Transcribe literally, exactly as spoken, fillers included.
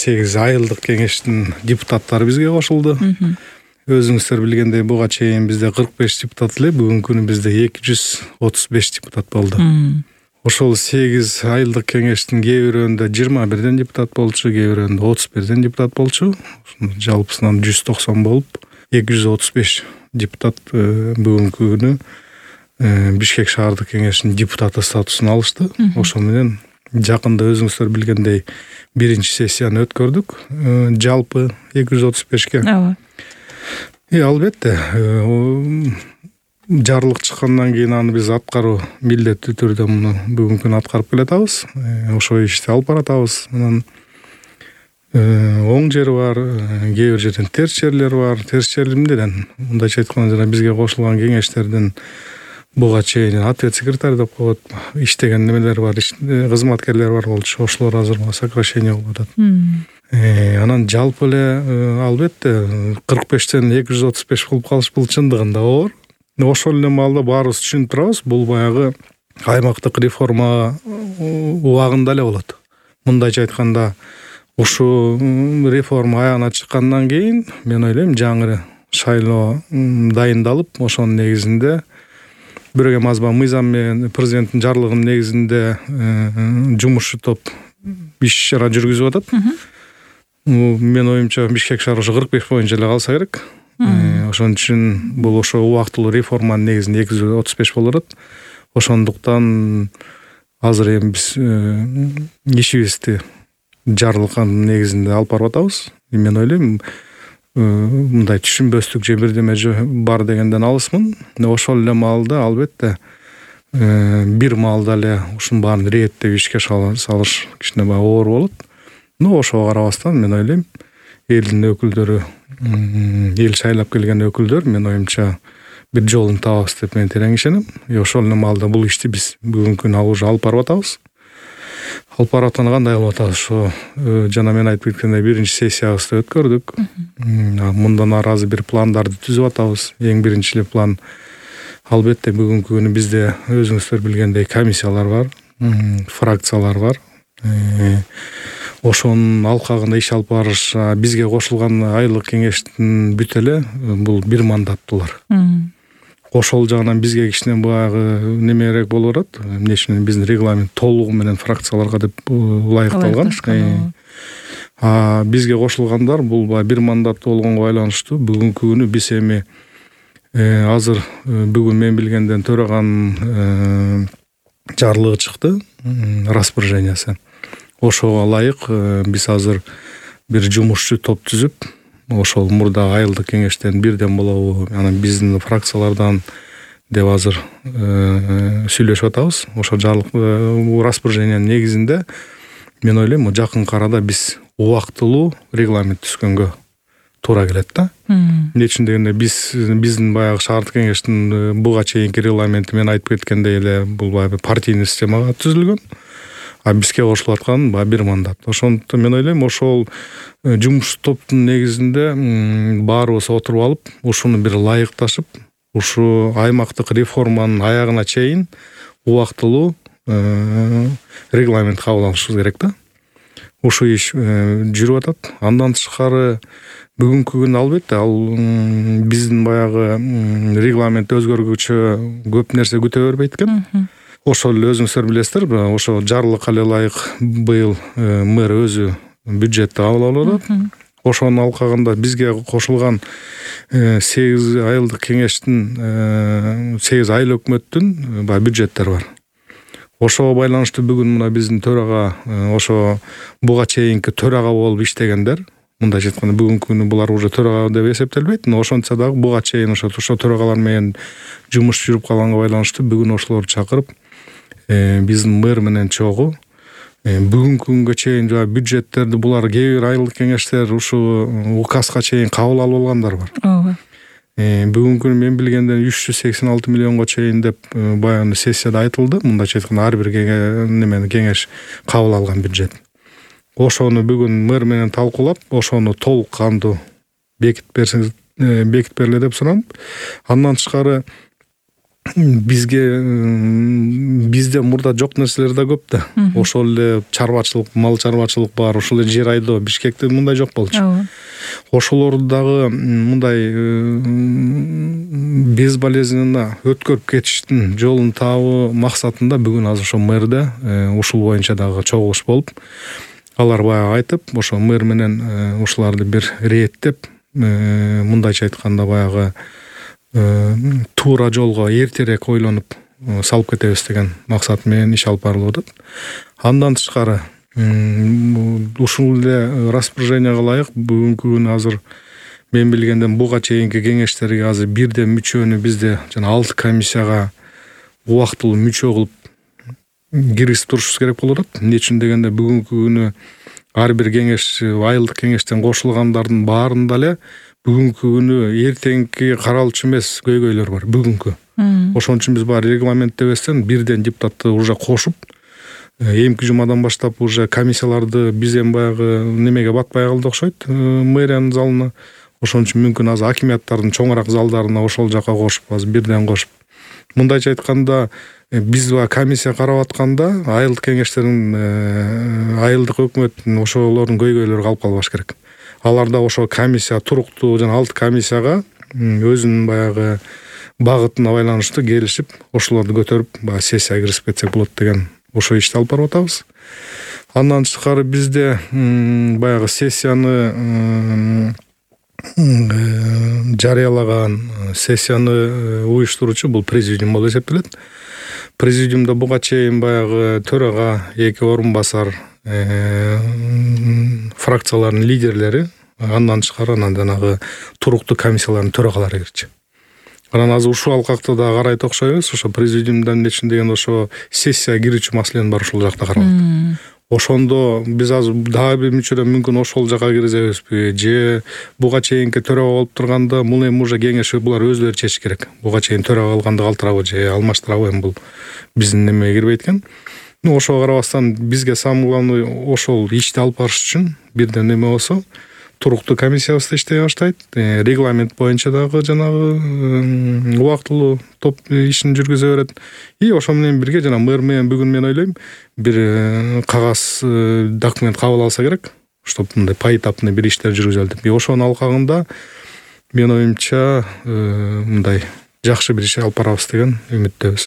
сегиз айылдык кеңештин депутаттары бизге кошулду. Өзүңүздөр билгендей буга чейин бизде кырк беш депутат эле, бүгүнкү күнү бизде эки жүз отуз беш депутат болду. Ошол сегиз айылдык кеңештин кээ бирөөндө жыйырма бирден депутат болчу, кээ бирөөндө отуз бирден депутат болчу. Жалпысынан жүз токсон болуп, эки жүз отуз беш депутат бүгүнкү күнү Бишкек шаардык кеңешинин депутаты статусун алышты. Ошол менен жакында өзүңүздөр билгендей биринчи сессияны өткөрдүк. Жалпы эки жүз отуз бешке. Ооба. И албетте, жарлык чыккандан кийин аны биз аткаруу милдеттүү түрдө муну бүгүнкү күнү аткарып келатабыз. Ошол ишти алып баратабыз. Анан оң жери бар, кээ бир жерден терс жерлер бар. Терс жери эмнеден? Мындайча айтканда жана бизге кошулган кеңештердин буга чейин ответ секретарь деп коет, иштеген немелер бар, кызматкерлер бар болчу. Ошолор азыр сокращение болуп атат. Анан жалпы эле албетте кырк бештен эки жүз отуз беш болуп калыш бул чындыгында оор. Ошол эле маалда баарыбыз түшүнүп турабыз, бул баягы аймактык реформа убагында эле болот. Мындайча айтканда, ушу реформа аягына чыккандан кийин мен ойлойм жаңы шайлоо дайындалып, ошонун негизинде бирок эми азба мыйзам менен президенттин жарлыгынын негизинде жумушчу топ иш чара жүргүзүп атат. Мен оюмча Бишкек шаары ошо кырк беш боюнча эле калса керек. Ошон үчүн бул ошо убактылуу реформанын негизинде эки жүз отуз беш болуп атат. Ошондуктан азыр эми биз ишибизди жарлыктын негизинде алып барып атабыз. Мен ойлойм, мындай түшүнбөстүк же бирдеме бар дегенден алысмын. Ошол эле маалда албетте бир маалда эле ушунун баарын реттеп ишке салыш кичине баягы оор болот. Но ошого карабастан мен ойлойм, элдин өкүлдөрү, эл шайлап келген өкүлдөр мен оюмча бир жолун табабыз деп мен терең ишенем. Ошол эле маалда бул ишти биз бүгүнкү күнү уже алып барып атабыз. Алып барып атканда кандай кылып атабыз? Ошо жана мен айтып кеткендей биринчи сессиябызды өткөрдүк. Мындан ары азыр бир пландарды түзүп атабыз. Эң биринчи эле план албетте бүгүнкү күнү бизде өзүңүздөр билгендей комиссиялар бар, фракциялар бар. Ошонун алкагында иш алып барыш, бизге кошулган айылдык кеңештин бүт эле бул бир мандаттуулар. Ошол жагынан бизге кичине баягы немерээк болуп атат. Эмне үчүн биздин регламент толугу менен фракцияларга деп ылайыкталган. А бизге кошулгандар бул баягы бир мандаттуу болгонго байланыштуу бүгүнкү күнү биз эми азыр бүгүн мен билгенден төраганын жарлыгы чыкты, распоряжениясы. Ошого ылайык биз азыр бир жумушчу топ түзүп, ошол мурда айылдык кеңештен бирден болобу, анан биздин фракциялардан деп азыр сүйлөшүп атабыз. Ошо жарлык распоряжениянын негизинде мен ойлойм, жакынкы арада биз убактылуу регламент түзгөнгө туура келет да. Эмне үчүн дегенде биз биздин баягы шаардык кеңештин буга чейинки регламенти мен айтып кеткендей эле бул баягы партийный системага түзүлгөн. А бизге кошулуп аткан баягы бир мандат. Ошондуктан мен ойлойм, ошол жумуш топтун негизинде баарыбыз отуруп алып, ушуну бир ылайыкташып, ушу аймактык реформанын аягына чейин убактылуу регламент кабыл алышыбыз керек да. Ушу иш жүрүп атат. Андан тышкары бүгүнкү күнү албетте ал биздин баягы регламент өзгөргүчө көп нерсе күтө бербейт экен. Ошол эле өзүңүздөр билесиздер, ошо жарлыкка эле ылайык быйыл мэр өзү бюджетти кабыл алып атат. Ошонун алкагында бизге кошулган сегиз айылдык кеңештин, сегиз айыл өкмөттүн баягы бюджеттери бар. Ошого байланыштуу бүгүн мына биздин төрага, ошо буга чейинки төрага болуп иштегендер, мындайча айтканда бүгүнкү күнү булар уже төрага деп эсептелбейт, но ошончо дагы буга чейин ошо ошо төрагалар менен жумуш жүрүп калганга байланыштуу бүгүн ошолорду чакырып, биздин мэр менен чогуу бүгүнкү күнгө чейин бюджеттерди булар кээ бир айылдык кеңештер ушу указга чейин кабыл алып алгандар бар. Ооба. Бүгүнкү күнү мен билгенден үч жүз сексен алты миллионго чейин деп баягы сессияда айтылды. Мындайча айтканда ар бир немени кеңеш кабыл алган бюджет. Ошону бүгүн мэр менен талкуулап, ошону толук кандуу бекитип берсеңиз, бекитип бергиле деп суранып, андан тышкары бизге бизде мурда жок нерселер да көп да. Ошол эле чарбачылык, мал чарбачылык бар, ошол эле жер айдоо. Бишкекте мындай жок болчу. Ошолор дагы мындай безболезненно өткөрүп кетиштин жолун табуу максатында бүгүн азыр ошо мэрде ушул боюнча дагы чогулуш болуп, алар баягы айтып, ошо мэр менен ушуларды бир реттеп, мындайча айтканда баягы туура жолго эртерээк ойлонуп салып кетебиз деген максат менен иш алып барылып атат. Андан тышкары ушул эле распоряженияга ылайык бүгүнкү күнү азыр мен билгенден буга чейинки кеңештерге азыр бирден мүчөнү бизде жана алты комиссияга убактылуу мүчө кылып киргизип турушубуз керек болуп атат. Эмне үчүн дегенде бүгүнкү күнү ар бир кеңеш, айылдык кеңештен кошулгандардын баарында эле бүгүнкү күнү эртеңки каралчу эмес көйгөйлөр бар бүгүнкү. Ошон үчүн биз баягы регламенттебестен бирден депутатты уже кошуп, эмки жумадан баштап уже комиссияларды биз эми баягы немеге батпай калды окшойт, мэриянын залына. Ошон үчүн мүмкүн азыр акимияттардын чоңураак залдарына ошол жака кошуп, азыр бирден кошуп. Мындайча айтканда, биз баягы комиссия карап атканда айылдык кеңештердин, айылдык өкмөттүн ошолордун көйгөйлөрү калып калбаш керек. Аларда ошо комиссия туруктуу жана алты комиссияга өзүнүн баягы багытына байланыштуу келишип, ошолорду көтөрүп, баягы сессияга киргизип кетсек болот деген ошо ишти алып барып атабыз. Андан тышкары бизде баягы сессияны жарыялаган, сессияны уюштуруучу бул президиум болуп эсептелет. Президиумда буга чейин баягы төрага, эки орун басар, фракциялардын лидерлери, андан тышкары анан жанагы туруктуу комиссиялардын төрагалары кирчү. Анан азыр ушул алкакта да карайт окшойбуз, ошо президиумдан эмне үчүн дегенде ошо сессияга кирүүчү маселени бар ушул жакта каралат. Ошондо биз азыр дагы бир мүчөдөн мүмкүн ошол жака киргизебизби, же буга чейинки төрага болуп турганда муну эми уже кеңеш булар өзүлөрү чечиш керек. Буга чейин төрага калганды калтырабы же алмаштырабы, эми бул биздин немеге кирбейт экен. Ну ошого карабастан бизге самый главный ошол ишти алып барыш үчүн бирден неме болсо, туруктуу комиссиябыз да иштей баштайт. Регламент боюнча дагы жанагы убактылуу топ ишин жүргүзө берет. И ошо менен бирге жана мэр менен бүгүн мен ойлойм бир кагаз документ кабыл алса керек, чтоб мындай поэтапный бир иштер жүргүзөлүп. И ошонун алкагында мен оюмча мындай жакшы бир иш алып барабыз деген үмүттөбүз.